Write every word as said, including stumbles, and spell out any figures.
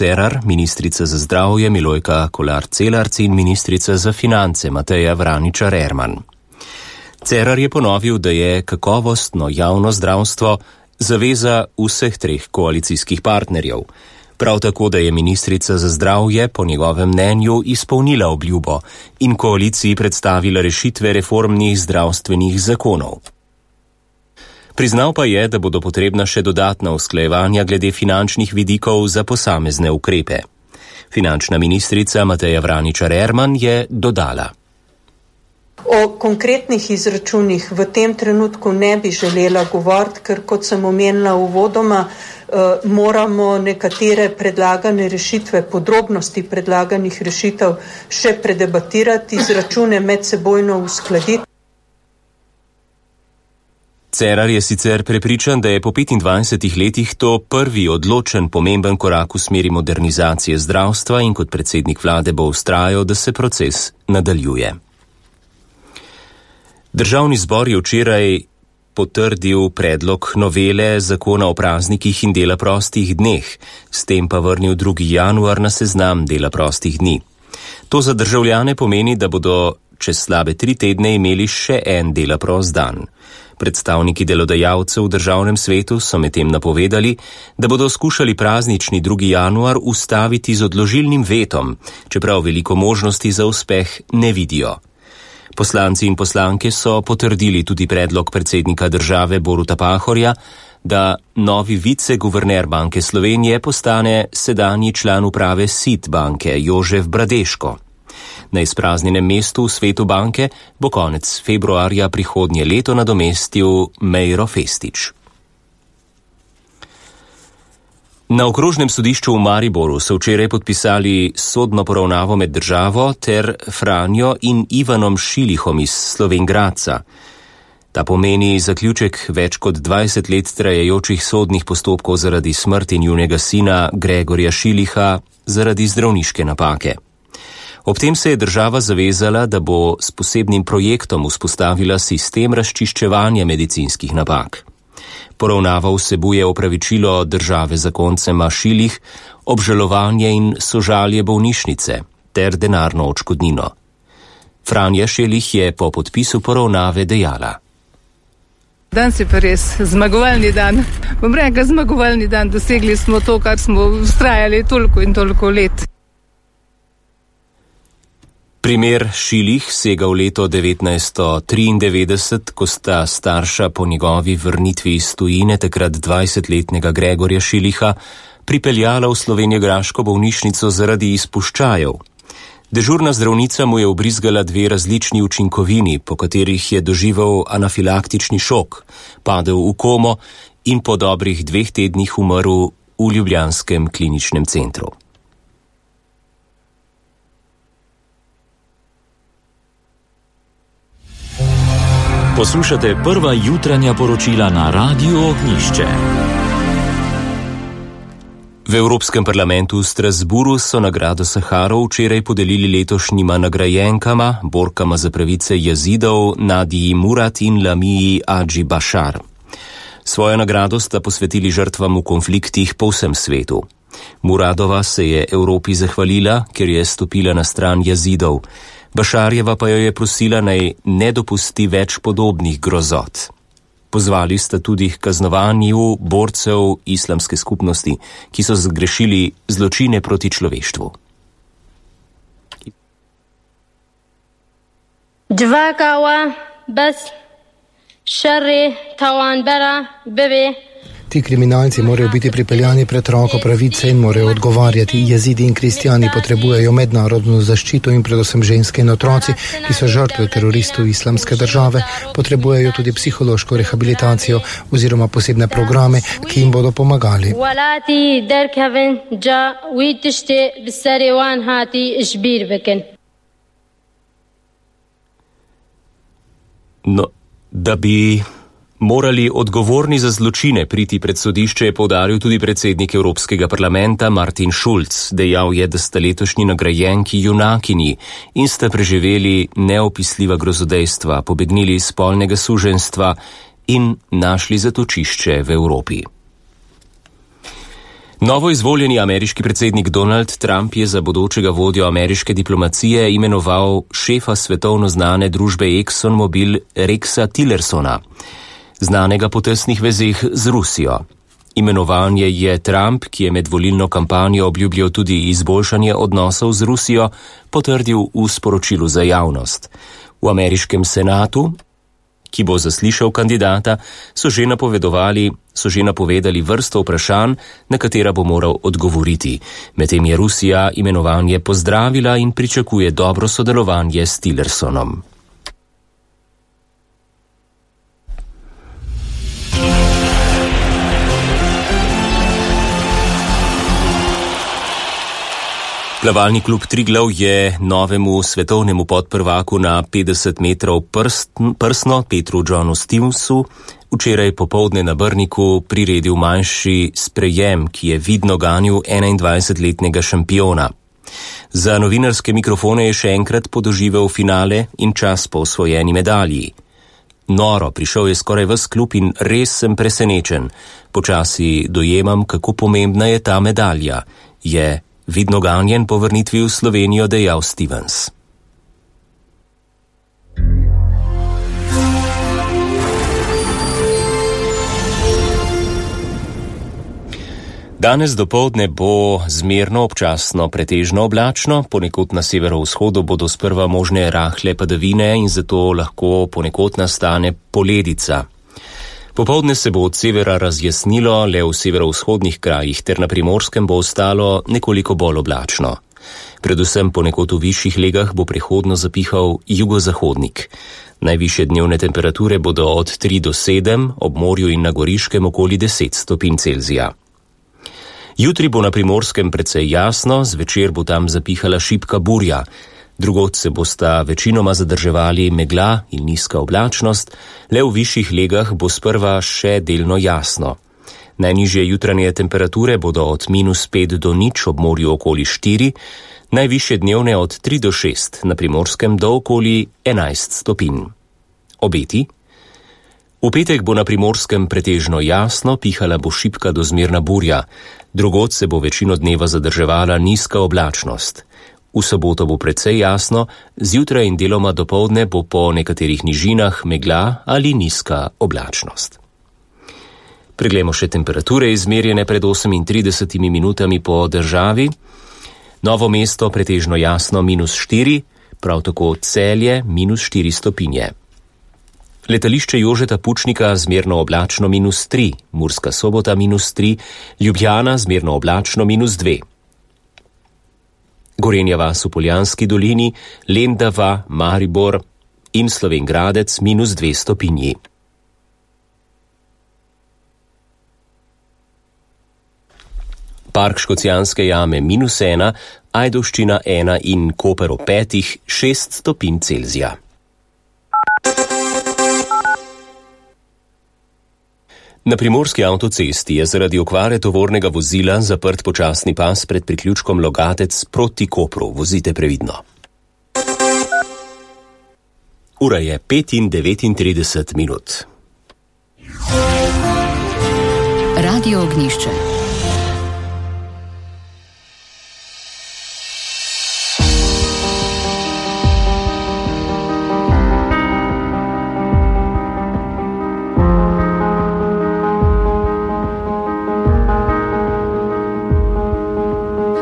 Cerar, ministrica za zdravje Milojka Kolar-Celarc in ministrica za finance Mateja Vraničar-Erman. Cerar je ponovil, da je kakovostno javno zdravstvo zaveza vseh treh koalicijskih partnerjev. Prav tako, da je ministrica za zdravje po njegovem mnenju izpolnila obljubo in koaliciji predstavila rešitve reformnih zdravstvenih zakonov. Priznal pa je, da bodo potrebna še dodatna usklajevanja glede finančnih vidikov za posamezne ukrepe. Finančna ministrica Mateja Vraničar-Erman je dodala: O konkretnih izračunih v tem trenutku ne bi želela govoriti, ker kot sem omenila uvodoma, eh, moramo nekatere predlagane rešitve, podrobnosti predlaganih rešitev še predebatirati, izračune medsebojno uskladiti. Cerar je sicer prepričan, da je po petindvajsetih letih to prvi odločen pomemben korak v smeri modernizacije zdravstva in kot predsednik vlade bo vztrajal, da se proces nadaljuje. Državni zbor je včeraj potrdil predlog novele zakona o praznikih in dela prostih dneh, s tem pa vrnil drugi januar na seznam dela prostih dni. To za državljane pomeni, da bodo čez slabe tri tedne imeli še en dela prost dan. Predstavniki delodajalcev v državnem svetu so medtem napovedali, da bodo skušali praznični drugi januar ustaviti z odložilnim vetom, čeprav veliko možnosti za uspeh ne vidijo. Poslanci in poslanke so potrdili tudi predlog predsednika države Boruta Pahorja, da novi viceguverner Banke Slovenije postane sedanji član uprave S I T banke Jožef Bradeško. Na izpraznjenem mestu v svetu banke bo konec februarja prihodnje leto nadomestil Mejro Festič. Na okrožnem sodišču v Mariboru so včeraj podpisali sodno poravnavo med državo ter Franjo in Ivanom Šilihom iz Slovenj Gradca. Ta pomeni zaključek več kot dvajset let trajajočih sodnih postopkov zaradi smrti njunega sina Gregorja Šiliha zaradi zdravniške napake. Ob tem se je država zavezala, da bo s posebnim projektom vzpostavila sistem razčiščevanja medicinskih napak. Poravnava vsebuje opravičilo države zakoncema Šilih, obžalovanje in sožalje bolnišnice ter denarno odškodnino. Franja Šilih je po podpisu poravnave dejala: Danes je pa res zmagovalni dan. Bom rekla zmagovalni dan, dosegli smo to, kar smo vztrajali toliko in toliko let. Primer Šilih sega v leto devetnajststo triindevetdeset, ko sta starša po njegovi vrnitvi iz tujine takrat dvajsetletnega Gregorja Šiliha pripeljala v slovenjegraško bolnišnico zaradi izpuščajev. Dežurna zdravnica mu je ubrizgala dve različni učinkovini, po katerih je doživel anafilaktični šok, padel v komo in po dobrih dveh tednih umrl v ljubljanskem kliničnem centru. Poslušate prva jutranja poročila na Radiu Ognjišče. V Evropskem parlamentu v Strasburu so nagrado Saharov včeraj podelili letošnjima nagrajenkama, borkama za pravice Jazidov Nadiji Murad in Lamiji Adži Bašar. Svojo nagrado sta posvetili žrtvam v konfliktih po vsem svetu. Muradova se je Evropi zahvalila, ker je stopila na stran Jazidov. Bašarjeva pa jo je prosila, naj ne dopusti več podobnih grozot. Pozvali sta tudi k kaznovanju borcev islamske skupnosti, ki so zgrešili zločine proti človeštvu. Dvakawa bas šarri tawanbara bebe. Ti kriminalci morajo biti pripeljani pred roko pravice in morajo odgovarjati. Jezidi in kristjani potrebujejo mednarodno zaščito in predvsem ženske in otroci, ki so žrtve teroristov islamske države, potrebujejo tudi psihološko rehabilitacijo oziroma posebne programe, ki jim bodo pomagali. No, da bi morali odgovorni za zločine priti pred sodišče, je poudaril tudi predsednik Evropskega parlamenta Martin Schulz. Dejal je, da sta letošnji nagrajenki junakinji in sta preživeli neopisljiva grozodejstva, pobegnili iz spolnega suženjstva in našli zatočišče v Evropi. Novo izvoljeni ameriški predsednik Donald Trump je za bodočega vodjo ameriške diplomacije imenoval šefa svetovno znane družbe ExxonMobil Rexa Tillersona, znanega po tesnih vezeh z Rusijo. Imenovanje je Trump, ki je med volilno kampanjo obljubljal tudi izboljšanje odnosov z Rusijo, potrdil v sporočilu za javnost. V ameriškem senatu, ki bo zaslišal kandidata, so že napovedovali, so že napovedali vrsto vprašanj, na katera bo moral odgovoriti. Medtem je Rusija imenovanje pozdravila in pričakuje dobro sodelovanje s Tillersonom. Plavalni klub Triglav je novemu svetovnemu podprvaku na petdeset metrov prst, prsno Petru Johnu Stevensu včeraj popoldne na Brniku priredil manjši sprejem, ki je vidno ganil enaindvajsetletnega šampiona. Za novinarske mikrofone je še enkrat podoživel finale in čas po osvojeni medalji. Noro, prišel je skoraj ves klub in res sem presenečen. Počasi dojemam, kako pomembna je ta medalja, je vidno ganjen po vrnitvi v Slovenijo dejal Stevens. Danes dopoldne bo zmerno občasno pretežno oblačno, ponekod na severovzhodu bodo sprva možne rahle padavine in zato lahko ponekod nastane poledica. Popoldne se bo od severa razjasnilo, le v severovzhodnih krajih ter na Primorskem bo ostalo nekoliko bolj oblačno. Predvsem ponekod v višjih legah bo prehodno zapihal jugozahodnik. Najvišje dnevne temperature bodo od tri do sedem, ob morju in na Goriškem okoli deset stopinj Celzija. Jutri bo na Primorskem precej jasno, zvečer bo tam zapihala šibka burja. Drugod se bosta večinoma zadrževali megla in nizka oblačnost, le v višjih legah bo sprva še delno jasno. Najnižje jutranje temperature bodo od minus pet do nič, ob morju okoli štiri, najvišje dnevne od tri do šest, na Primorskem do okoli enajst stopinj. Obeti? V petek bo na Primorskem pretežno jasno, pihala bo šibka do zmerna burja. Drugod se bo večino dneva zadrževala nizka oblačnost. V soboto bo precej jasno, zjutraj in deloma dopoldne bo po nekaterih nižinah megla ali nizka oblačnost. Preglejmo še temperature izmerjene pred osemintridesetimi minutami po državi. Novo mesto pretežno jasno minus štiri, prav tako Celje minus štiri stopinje. Letališče Jožeta Pučnika zmerno oblačno minus tri, Murska Sobota minus tri, Ljubljana zmerno oblačno minus dve. Gorenja vas v Poljanski dolini, Lendava, Maribor in Slovenj Gradec minus dve stopinji. Park Škocjanske jame minus ena, Ajdovščina ena in Koper ob petih šest stopinj Celzija. Na primorski avtocesti je zaradi okvare tovornega vozila zaprt počasni pas pred priključkom Logatec proti Kopru. Vozite previdno. Ura je pet in devetintrideset minut. Radio Ognjišče.